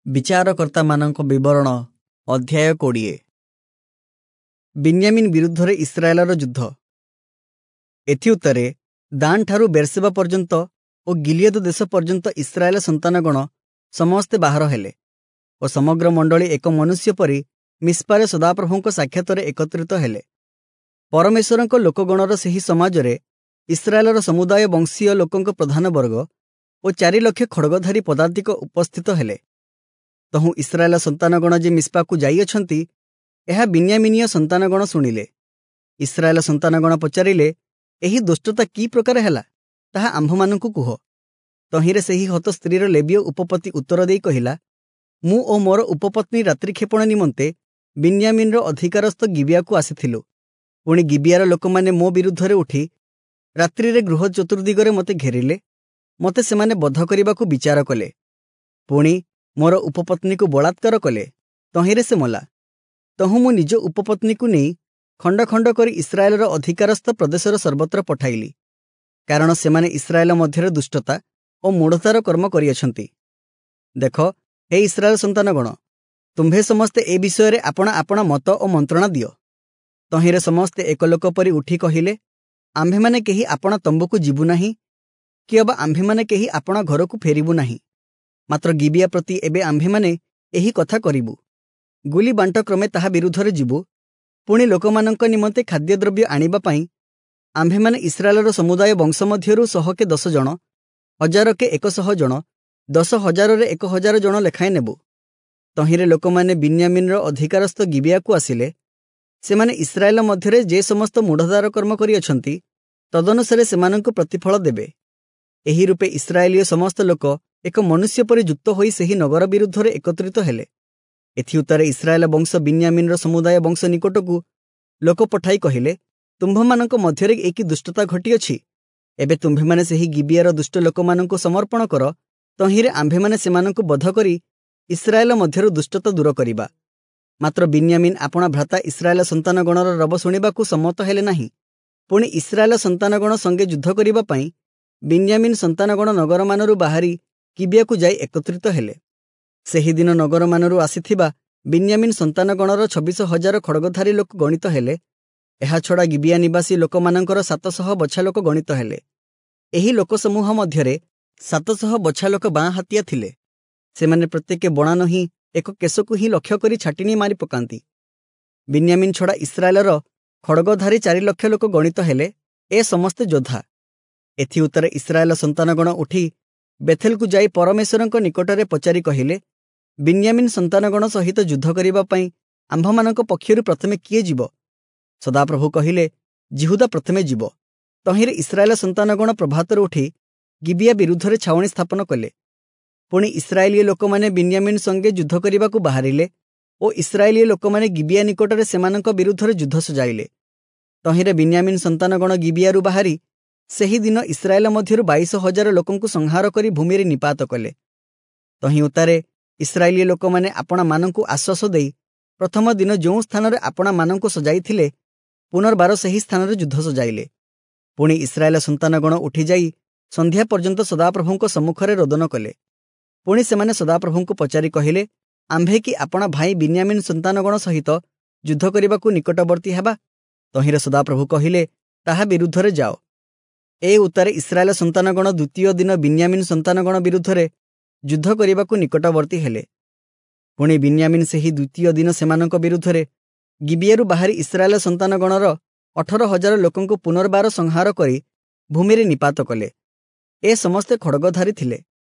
ବିଚାରକର୍ତ୍ତାମାନଙ୍କ ବିବରଣ ଅଧ୍ୟାୟ 20। ବିନ୍ୟାମିନ୍ ବିରୁଦ୍ଧରେ ଇସ୍ରାଏଲର ଯୁଦ୍ଧ। ଏଥିଉତ୍ତାରେ ଦାନ୍ଠାରୁ ବେର୍ସେବା ପର୍ଯ୍ୟନ୍ତ ଓ ଗିଲିୟଦ ଦେଶ ପର୍ଯ୍ୟନ୍ତ ଇସ୍ରାଏଲ ସନ୍ତାନଗଣ ସମସ୍ତେ ବାହାର ହେଲେ ଓ ସମଗ୍ର ମଣ୍ଡଳୀ ଏକ ମନୁଷ୍ୟ ପରି ମିସ୍ପାରେ ସଦାପ୍ରଭୁଙ୍କ ସାକ୍ଷାତରେ ଏକତ୍ରିତ ହେଲେ। ପରମେଶ୍ୱରଙ୍କ ଲୋକଗଣର ସେହି ସମାଜରେ ଇସ୍ରାଏଲର ସମୁଦାୟ ବଂଶୀୟ ଲୋକଙ୍କ ପ୍ରଧାନ ବର୍ଗ ଓ 4 ଲକ୍ଷ ଖଡ଼ଗଧାରୀ ପଦାତିକ ଉପସ୍ଥିତ ହେଲେ। ତହୁଁ ଇସ୍ରାଏଲ ସନ୍ତାନଗଣ ଯେ ମିସ୍ପାକୁ ଯାଇଅଛନ୍ତି, ଏହା ବିନ୍ୟାମିନୀୟ ସନ୍ତାନଗଣ ଶୁଣିଲେ। ଇସ୍ରାଏଲ ସନ୍ତାନଗଣ ପଚାରିଲେ, ଏହି ଦୁଷ୍ଟତା କି ପ୍ରକାର ହେଲା, ତାହା ଆମ୍ଭମାନଙ୍କୁ କୁହ। ତହିଁରେ ସେହି ହତ ସ୍ତ୍ରୀର ଲେବୀୟ ଉପପତି ଉତ୍ତର ଦେଇ କହିଲା, ମୁଁ ଓ ମୋର ଉପପତ୍ନୀ ରାତ୍ରିକ୍ଷେପଣ ନିମନ୍ତେ ବିନ୍ୟାମିନର ଅଧିକାରସ୍ଥ ଗିବିଆକୁ ଆସିଥିଲୁ। ପୁଣି ଗିବିଆର ଲୋକମାନେ ମୋ ବିରୁଦ୍ଧରେ ଉଠି ରାତ୍ରିରେ ଗୃହ ଚତୁର୍ଦିଗରେ ମୋତେ ଘେରିଲେ, ମୋତେ ସେମାନେ ବଧ କରିବାକୁ ବିଚାର କଲେ। ପୁଣି ମୋର ଉପପତ୍ନୀକୁ ବଳାତ୍କାର କଲେ, ତହିଁରେ ସେ ମଲା। ତହୁଁ ମୁଁ ନିଜ ଉପପତ୍ନୀକୁ ନେଇ ଖଣ୍ଡ ଖଣ୍ଡ କରି ଇସ୍ରାଏଲର ଅଧିକାରସ୍ଥ ପ୍ରଦେଶର ସର୍ବତ୍ର ପଠାଇଲି, କାରଣ ସେମାନେ ଇସ୍ରାଏଲ ମଧ୍ୟରେ ଦୁଷ୍ଟତା ଓ ମୂଢ଼ତାର କର୍ମ କରିଅଛନ୍ତି। ଦେଖ, ହେ ଇସ୍ରାଏଲ ସନ୍ତାନଗଣ, ତୁମ୍ଭେ ସମସ୍ତେ ଏ ବିଷୟରେ ଆପଣା ଆପଣା ମତ ଓ ମନ୍ତ୍ରଣା ଦିଅ। ତହିଁରେ ସମସ୍ତେ ଏକ ଲୋକ ପରି ଉଠି କହିଲେ, ଆମ୍ଭେମାନେ କେହି ଆପଣା ତମ୍ବୁକୁ ଯିବୁ ନାହିଁ, କି ଅବା ଆମ୍ଭେମାନେ କେହି ଆପଣା ଘରକୁ ଫେରିବୁ ନାହିଁ। ମାତ୍ର ଗିବିଆ ପ୍ରତି ଏବେ ଆମ୍ଭେମାନେ ଏହି କଥା କରିବୁ, ଗୁଲି ବାଣ୍ଟ କ୍ରମେ ତାହା ବିରୁଦ୍ଧରେ ଯିବୁ। ପୁଣି ଲୋକମାନଙ୍କ ନିମନ୍ତେ ଖାଦ୍ୟଦ୍ରବ୍ୟ ଆଣିବା ପାଇଁ ଆମ୍ଭେମାନେ ଇସ୍ରାଏଲର ସମୁଦାୟ ବଂଶ ମଧ୍ୟରୁ 100କେ 10 ଜଣ, 1000କେ 100 ଜଣ, 10,000ରେ 1000 ଜଣ ଲେଖାଏଁ ନେବୁ। ତହିଁରେ ଲୋକମାନେ ବିନ୍ୟାମିନର ଅଧିକାରସ୍ଥ ଗିବିଆକୁ ଆସିଲେ। ସେମାନେ ଇସ୍ରାଏଲ ମଧ୍ୟରେ ଯେ ସମସ୍ତ ମୂଢ଼ତାର କର୍ମ କରିଅଛନ୍ତି, ତଦନୁସାରେ ସେମାନଙ୍କୁ ପ୍ରତିଫଳ ଦେବେ। ଏହି ରୂପେ ଇସ୍ରାଏଲୀୟ ସମସ୍ତ ଲୋକ ଏକ ମନୁଷ୍ୟ ପରି ଯୁକ୍ତ ହୋଇ ସେହି ନଗର ବିରୁଦ୍ଧରେ ଏକତ୍ରିତ ହେଲେ। ଏଥିଉତ୍ତାରେ ଇସ୍ରାଏଲ ବଂଶ ବିନ୍ୟାମିନର ସମୁଦାୟ ବଂଶ ନିକଟକୁ ଲୋକ ପଠାଇ କହିଲେ, ତୁମ୍ଭମାନଙ୍କ ମଧ୍ୟରେ ଏ କି ଦୁଷ୍ଟତା ଘଟିଅଛି? ଏବେ ତୁମ୍ଭେମାନେ ସେହି ଗିବିଆର ଦୁଷ୍ଟ ଲୋକମାନଙ୍କୁ ସମର୍ପଣ କର, ତହିଁରେ ଆମ୍ଭେମାନେ ସେମାନଙ୍କୁ ବଧ କରି ଇସ୍ରାଏଲ ମଧ୍ୟରୁ ଦୁଷ୍ଟତା ଦୂର କରିବା। ମାତ୍ର ବିନ୍ୟାମିନ୍ ଆପଣା ଭ୍ରାତା ଇସ୍ରାଏଲ ସନ୍ତାନଗଣର ରବ ଶୁଣିବାକୁ ସମ୍ମତ ହେଲେ ନାହିଁ। ପୁଣି ଇସ୍ରାଏଲ ସନ୍ତାନଗଣ ସଙ୍ଗେ ଯୁଦ୍ଧ କରିବା ପାଇଁ ବିନ୍ୟାମିନ୍ ସନ୍ତାନଗଣ ନଗରମାନରୁ ବାହାରି ଗିବିଆକୁ ଯାଇ ଏକତ୍ରିତ ହେଲେ। ସେହିଦିନ ନଗରମାନରୁ ଆସିଥିବା ବିନ୍ୟାମିନ୍ ସନ୍ତାନଗଣର 26,000 ଖଡ଼ଗଧାରୀ ଲୋକ ଗଣିତ ହେଲେ। ଏହାଛଡ଼ା ଗିବିଆ ନିବାସୀ ଲୋକମାନଙ୍କର 700 ବଛା ଲୋକ ଗଣିତ ହେଲେ। ଏହି ଲୋକସମୂହ ମଧ୍ୟରେ 700 ବଛା ଲୋକ ବାଁ ହାତିଆ ଥିଲେ। ସେମାନେ ପ୍ରତ୍ୟେକ ବଣା ନହିଁ ଏକ କେଶକୁ ହିଁ ଲକ୍ଷ୍ୟ କରି ଛାଟିନି ମାରି ପକାନ୍ତି। ବିନ୍ୟାମିନ୍ ଛଡ଼ା ଇସ୍ରାଏଲର ଖଡ଼ଗଧାରୀ 4 ଲକ୍ଷ ଲୋକ ଗଣିତ ହେଲେ, ଏ ସମସ୍ତେ ଯୋଦ୍ଧା। ଏଥିଉତ୍ତାରେ ଇସ୍ରାଏଲ ସନ୍ତାନଗଣ ଉଠି ବେଥେଲକୁ ଯାଇ ପରମେଶ୍ୱରଙ୍କ ନିକଟରେ ପଚାରି କହିଲେ, ବିନ୍ୟାମିନ୍ ସନ୍ତାନଗଣ ସହିତ ଯୁଦ୍ଧ କରିବା ପାଇଁ ଆମ୍ଭମାନଙ୍କ ପକ୍ଷରୁ ପ୍ରଥମେ କିଏ ଯିବ? ସଦାପ୍ରଭୁ କହିଲେ, ଯିହୁଦା ପ୍ରଥମେ ଯିବ। ତହିଁରେ ଇସ୍ରାଏଲ ସନ୍ତାନଗଣ ପ୍ରଭାତରୁ ଉଠି ଗିବିଆ ବିରୁଦ୍ଧରେ ଛାଉଣି ସ୍ଥାପନ କଲେ। ପୁଣି ଇସ୍ରାଏଲୀୟ ଲୋକମାନେ ବିନ୍ୟାମିନ୍ ସଙ୍ଗେ ଯୁଦ୍ଧ କରିବାକୁ ବାହାରିଲେ ଓ ଇସ୍ରାଏଲୀୟ ଲୋକମାନେ ଗିବିଆ ନିକଟରେ ସେମାନଙ୍କ ବିରୁଦ୍ଧରେ ଯୁଦ୍ଧ ସଜାଇଲେ। ତହିଁରେ ବିନ୍ୟାମିନ୍ ସନ୍ତାନଗଣ ଗିବିଆରୁ ବାହାରି ସେହିଦିନ ଇସ୍ରାଏଲ ମଧ୍ୟରୁ 22,000 ଲୋକଙ୍କୁ ସଂହାର କରି ଭୂମିରେ ନିପାତ କଲେ। ତହିଁ ଉତ୍ତାରେ ଇସ୍ରାଏଲୀୟ ଲୋକମାନେ ଆପଣାମାନଙ୍କୁ ଆଶ୍ୱାସ ଦେଇ ପ୍ରଥମ ଦିନ ଯେଉଁ ସ୍ଥାନରେ ଆପଣାମାନଙ୍କୁ ସଜାଇଥିଲେ, ପୁନର୍ବାର ସେହି ସ୍ଥାନରେ ଯୁଦ୍ଧ ସଜାଇଲେ। ପୁଣି ଇସ୍ରାଏଲ ସନ୍ତାନଗଣ ଉଠିଯାଇ ସନ୍ଧ୍ୟା ପର୍ଯ୍ୟନ୍ତ ସଦାପ୍ରଭୁଙ୍କ ସମ୍ମୁଖରେ ରୋଦନ କଲେ। ପୁଣି ସେମାନେ ସଦାପ୍ରଭୁଙ୍କୁ ପଚାରି କହିଲେ, ଆମ୍ଭେ କି ଆପଣା ଭାଇ ବିନ୍ୟାମିନ୍ ସନ୍ତାନଗଣ ସହିତ ଯୁଦ୍ଧ କରିବାକୁ ନିକଟବର୍ତ୍ତୀ ହେବା? ତହିଁରେ ସଦାପ୍ରଭୁ କହିଲେ, ତାହା ବିରୁଦ୍ଧରେ ଯାଅ। ଏ ଉତ୍ତାରେ ଇସ୍ରାଏଲ ସନ୍ତାନଗଣ ଦ୍ୱିତୀୟ ଦିନ ବିନ୍ୟାମିନ୍ ସନ୍ତାନଗଣ ବିରୁଦ୍ଧରେ ଯୁଦ୍ଧ କରିବାକୁ ନିକଟବର୍ତ୍ତୀ ହେଲେ। ପୁଣି ବିନ୍ୟାମିନ୍ ସେହି ଦ୍ୱିତୀୟ ଦିନ ସେମାନଙ୍କ ବିରୁଦ୍ଧରେ ଗିବିଆରୁ ବାହାରି ଇସ୍ରାଏଲ ସନ୍ତାନଗଣର 18,000 ଲୋକଙ୍କୁ ପୁନର୍ବାର ସଂହାର କରି ଭୂମିରେ ନିପାତ କଲେ। ଏ ସମସ୍ତେ ଖଡ଼ଗଧାରୀ ଥିଲେ।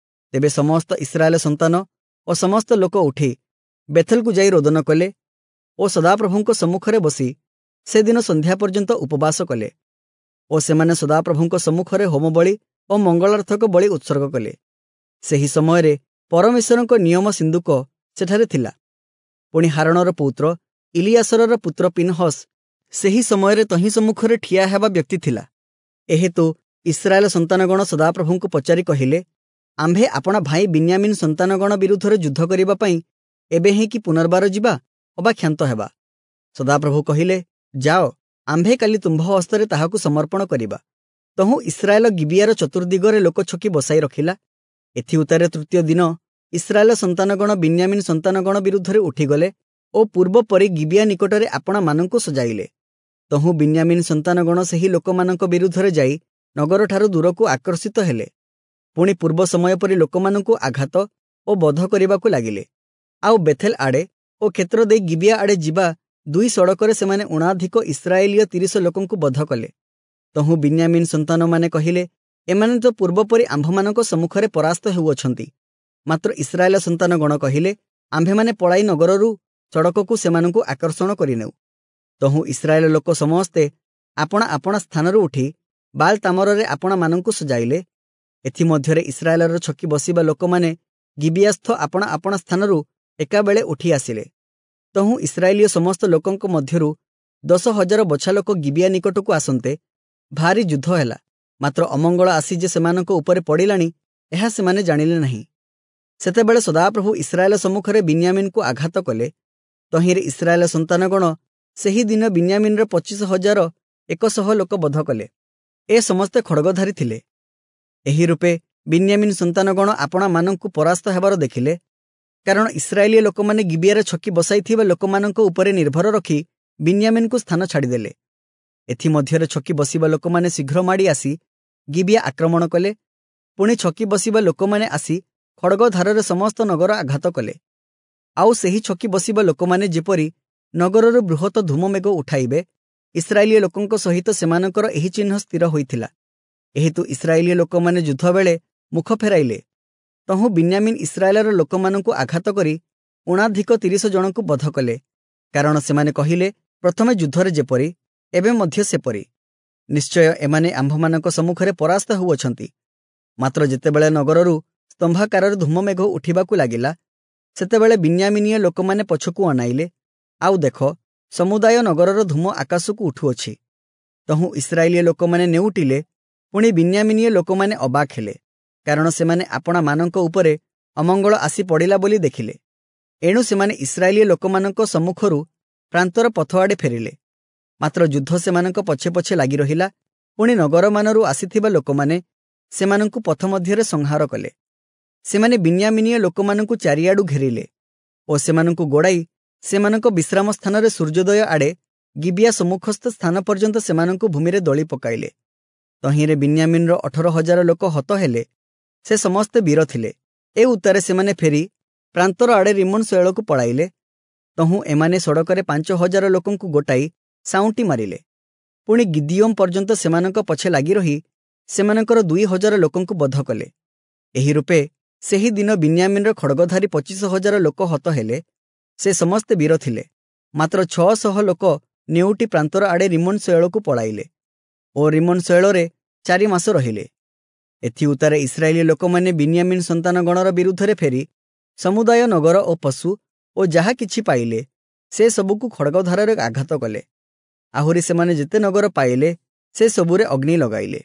ତେବେ ସମସ୍ତ ଇସ୍ରାଏଲ ସନ୍ତାନ ଓ ସମସ୍ତ ଲୋକ ଉଠି ବେଥେଲକୁ ଯାଇ ରୋଦନ କଲେ ଓ ସଦାପ୍ରଭୁଙ୍କ ସମ୍ମୁଖରେ ବସି ସେଦିନ ସନ୍ଧ୍ୟା ପର୍ଯ୍ୟନ୍ତ ଉପବାସ କଲେ ଓ ସେମାନେ ସଦାପ୍ରଭୁଙ୍କ ସମ୍ମୁଖରେ ହୋମବଳି ଓ ମଙ୍ଗଳାର୍ଥକ ବଳି ଉତ୍ସର୍ଗ କଲେ। ସେହି ସମୟରେ ପରମେଶ୍ୱରଙ୍କ ନିୟମ ସିନ୍ଦୁକ ସେଠାରେ ଥିଲା। ପୁଣି ହାରଣର ପୌତ୍ର ଇଲିୟାସରର ପୁତ୍ର ପିନହସ୍ ସେହି ସମୟରେ ତହିଁ ସମ୍ମୁଖରେ ଠିଆ ହେବା ବ୍ୟକ୍ତି ଥିଲା। ଏହେତୁ ଇସ୍ରାଏଲ ସନ୍ତାନଗଣ ସଦାପ୍ରଭୁଙ୍କୁ ପଚାରି କହିଲେ, ଆମ୍ଭେ ଆପଣା ଭାଇ ବିନ୍ୟାମିନ୍ ସନ୍ତାନଗଣ ବିରୁଦ୍ଧରେ ଯୁଦ୍ଧ କରିବା ପାଇଁ ଏବେ ହିଁ କି ପୁନର୍ବାର ଯିବା ଅବା କ୍ଷାନ୍ତ ହେବା? ସଦାପ୍ରଭୁ କହିଲେ, ଯାଅ, ଆମ୍ଭେ କାଲି ତୁମ୍ଭ ହସ୍ତରେ ତାହାକୁ ସମର୍ପଣ କରିବା। ତହୁଁ ଇସ୍ରାଏଲ ଗିବିଆର ଚତୁର୍ଦିଗରେ ଲୋକ ଛକି ବସାଇ ରଖିଲା। ଏଥିଉତ୍ତାରେ ତୃତୀୟ ଦିନ ଇସ୍ରାଏଲ ସନ୍ତାନଗଣ ବିନ୍ୟାମୀନ ସନ୍ତାନଗଣ ବିରୁଦ୍ଧରେ ଉଠିଗଲେ ଓ ପୂର୍ବପରି ଗିବିୟା ନିକଟରେ ଆପଣାମାନଙ୍କୁ ସଜାଇଲେ। ତହୁଁ ବିନ୍ୟାମୀନ ସନ୍ତାନଗଣ ସେହି ଲୋକମାନଙ୍କ ବିରୁଦ୍ଧରେ ଯାଇ ନଗରଠାରୁ ଦୂରକୁ ଆକର୍ଷିତ ହେଲେ। ପୁଣି ପୂର୍ବ ସମୟ ପରି ଲୋକମାନଙ୍କୁ ଆଘାତ ଓ ବଧ କରିବାକୁ ଲାଗିଲେ। ଆଉ ବେଥେଲ ଆଡ଼େ ଓ କ୍ଷେତ୍ର ଦେଇ ଗିବିୟା ଆଡ଼େ ଯିବା ଦୁଇ ସଡ଼କରେ ସେମାନେ ଊଣାଧିକ ଇସ୍ରାଏଲୀୟ 30 ଲୋକଙ୍କୁ ବଧ କଲେ। ତହୁଁ ବିନ୍ୟାମୀନ ସନ୍ତାନମାନେ କହିଲେ, ଏମାନେ ତ ପୂର୍ବପରି ଆମ୍ଭମାନଙ୍କ ସମ୍ମୁଖରେ ପରାସ୍ତ ହେଉଅଛନ୍ତି। ମାତ୍ର ଇସ୍ରାଏଲ ସନ୍ତାନଗଣ କହିଲେ, ଆମ୍ଭେମାନେ ପଳାଇ ନଗରରୁ ସଡ଼କକୁ ସେମାନଙ୍କୁ ଆକର୍ଷଣ କରିନେଉ। ତହୁଁ ଇସ୍ରାଏଲ ଲୋକ ସମସ୍ତେ ଆପଣା ଆପଣା ସ୍ଥାନରୁ ଉଠି ବାଲ ତାମରରେ ଆପଣାମାନଙ୍କୁ ସଜାଇଲେ। ଏଥିମଧ୍ୟରେ ଇସ୍ରାଏଲର ଛକି ବସିବା ଲୋକମାନେ ଗିବିୟାସ୍ଥ ଆପଣା ଆପଣା ସ୍ଥାନରୁ ଏକାବେଳେ ଉଠି ଆସିଲେ। ତହୁଁ ଇସ୍ରାଏଲୀୟ ସମସ୍ତ ଲୋକଙ୍କ ମଧ୍ୟରୁ 10,000 ବଛା ଲୋକ ଗିବିୟା ନିକଟକୁ ଆସନ୍ତେ ଭାରି ଯୁଦ୍ଧ ହେଲା। ମାତ୍ର ଅମଙ୍ଗଳ ଆସି ଯେ ସେମାନଙ୍କ ଉପରେ ପଡ଼ିଲାଣି, ଏହା ସେମାନେ ଜାଣିଲେ ନାହିଁ। ସେତେବେଳେ ସଦାପ୍ରଭୁ ଇସ୍ରାଏଲ ସମ୍ମୁଖରେ ବିନ୍ୟାମୀନକୁ ଆଘାତ କଲେ। ତହିଁରେ ଇସ୍ରାଏଲ ସନ୍ତାନଗଣ ସେହି ଦିନ ବିନ୍ୟାମୀନର 25,100 ଲୋକ ବଧ କଲେ। ଏ ସମସ୍ତେ ଖଡ଼ଗଧାରୀ ଥିଲେ। ଏହି ରୂପେ ବିନ୍ୟାମୀନ ସନ୍ତାନଗଣ ଆପଣାମାନଙ୍କୁ ପରାସ୍ତ ହେବାର ଦେଖିଲେ, କାରଣ ଇସ୍ରାଏଲୀୟ ଲୋକମାନେ ଗିବିୟାରେ ଛକି ବସାଇଥିବା ଲୋକମାନଙ୍କ ଉପରେ ନିର୍ଭର ରଖି ବିନ୍ୟାମୀନକୁ ସ୍ଥାନ ଛାଡ଼ିଦେଲେ। ଏଥିମଧ୍ୟରେ ଛକି ବସିବା ଲୋକମାନେ ଶୀଘ୍ର ମାଡ଼ି ଆସି ଗିବିୟା ଆକ୍ରମଣ କଲେ। ପୁଣି ଛକି ବସିବା ଲୋକମାନେ ଆସି ଖଡ଼ଗଧାରରେ ସମସ୍ତ ନଗର ଆଘାତ କଲେ। ଆଉ ସେହି ଛକି ବସିବା ଲୋକମାନେ ଯେପରି ନଗରରୁ ବୃହତ ଧୂମମେଘ ଉଠାଇବେ, ଇସ୍ରାଏଲୀୟ ଲୋକଙ୍କ ସହିତ ସେମାନଙ୍କର ଏହି ଚିହ୍ନ ସ୍ଥିର ହୋଇଥିଲା। ଏହେତୁ ଇସ୍ରାଏଲୀୟ ଲୋକମାନେ ଯୁଦ୍ଧବେଳେ ମୁଖ ଫେରାଇଲେ। ତହୁଁ ବିନ୍ୟାମୀନ ଇସ୍ରାଏଲର ଲୋକମାନଙ୍କୁ ଆଘାତ କରି ଊଣାଧିକ 30 ଜଣଙ୍କୁ ବଧ କଲେ, କାରଣ ସେମାନେ କହିଲେ, ପ୍ରଥମେ ଯୁଦ୍ଧରେ ଯେପରି ଏବେ ମଧ୍ୟ ସେପରି। ନିଶ୍ଚୟ ଏମାନେ ଆମ୍ଭମାନଙ୍କ ସମ୍ମୁଖରେ ପରାସ୍ତ ହେଉଅଛନ୍ତି। ମାତ୍ର ଯେତେବେଳେ ନଗରରୁ ସ୍ତମ୍ଭାକାରରେ ଧୂମମେଘ ଉଠିବାକୁ ଲାଗିଲା, ସେତେବେଳେ ବିନ୍ୟାମୀନୀୟ ଲୋକମାନେ ପଛକୁ ଅନାଇଲେ, ଆଉ ଦେଖ, ସମୁଦାୟ ନଗରର ଧୂମ ଆକାଶକୁ ଉଠୁଅଛି। ତହୁଁ ଇସ୍ରାଏଲୀୟ ଲୋକମାନେ ନେଉଟିଲେ। ପୁଣି ବିନ୍ୟାମୀନୀୟ ଲୋକମାନେ ଅବାକ୍ ହେଲେ, କାରଣ ସେମାନେ ଆପଣାମାନଙ୍କ ଉପରେ ଅମଙ୍ଗଳ ଆସି ପଡ଼ିଲା ବୋଲି ଦେଖିଲେ। ଏଣୁ ସେମାନେ ଇସ୍ରାଏଲୀୟ ଲୋକମାନଙ୍କ ସମ୍ମୁଖରୁ ପ୍ରାନ୍ତର ପଥ ଆଡ଼େ ଫେରିଲେ। ମାତ୍ର ଯୁଦ୍ଧ ସେମାନଙ୍କ ପଛେ ପଛେ ଲାଗି ରହିଲା। ପୁଣି ନଗରମାନରୁ ଆସିଥିବା ଲୋକମାନେ ସେମାନଙ୍କୁ ପଥ ମଧ୍ୟରେ ସଂହାର କଲେ। ସେମାନେ ବିନ୍ୟାମୀନୀୟ ଲୋକମାନଙ୍କୁ ଚାରିଆଡ଼ୁ ଘେରିଲେ ଓ ସେମାନଙ୍କୁ ଗୋଡ଼ାଇ ସେମାନଙ୍କ ବିଶ୍ରାମ ସ୍ଥାନରେ ସୂର୍ଯ୍ୟୋଦୟ ଆଡ଼େ ଗିବିୟା ସମ୍ମୁଖସ୍ଥ ସ୍ଥାନ ପର୍ଯ୍ୟନ୍ତ ସେମାନଙ୍କୁ ଭୂମିରେ ଦଳି ପକାଇଲେ। ତହିଁରେ ବିନ୍ୟାମୀନର 18,000 ଲୋକ ହତ ହେଲେ। ସେ ସମସ୍ତେ ବୀର ଥିଲେ। ଏ ଉତ୍ତାରେ ସେମାନେ ଫେରି ପ୍ରାନ୍ତର ଆଡ଼େ ରିମୋନ ଶୈଳକୁ ପଳାଇଲେ। ତହୁଁ ଏମାନେ ସଡ଼କରେ 5,000 ଲୋକଙ୍କୁ ଗୋଟାଇ ସାଉଁଟି ମାରିଲେ। ପୁଣି ଗିଦିୟୋମ ପର୍ଯ୍ୟନ୍ତ ସେମାନଙ୍କ ପଛେ ଲାଗି ରହି ସେମାନଙ୍କର 2,000 ଲୋକଙ୍କୁ ବଧ କଲେ। ଏହି ରୂପେ ସେହି ଦିନ ବିନ୍ୟାମୀନର ଖଡ଼ଗଧାରୀ 25,000 ଲୋକ ହତ ହେଲେ। ସେ ସମସ୍ତେ ବୀର ଥିଲେ। ମାତ୍ର 600 ଲୋକ ନେଉଟି ପ୍ରାନ୍ତର ଆଡ଼େ ରିମୋନ ଶୈଳକୁ ପଳାଇଲେ ଓ ରିମୋନ ଶୈଳରେ 4 ମାସ ରହିଲେ। ଏଥିଉତ୍ତାରେ ଇସ୍ରାଏଲୀୟ ଲୋକମାନେ ବିନ୍ୟାମୀନ ସନ୍ତାନଗଣର ବିରୁଦ୍ଧରେ ଫେରି ସମୁଦାୟ ନଗର ଓ ପଶୁ ଓ ଯାହା କିଛି ପାଇଲେ ସେ ସବୁକୁ ଖଡ଼ଗଧାରରେ ଆଘାତ କଲେ। ଆହୁରି ସେମାନେ ଯେତେ ନଗର ପାଇଲେ ସେ ସବୁରେ ଅଗ୍ନି ଲଗାଇଲେ।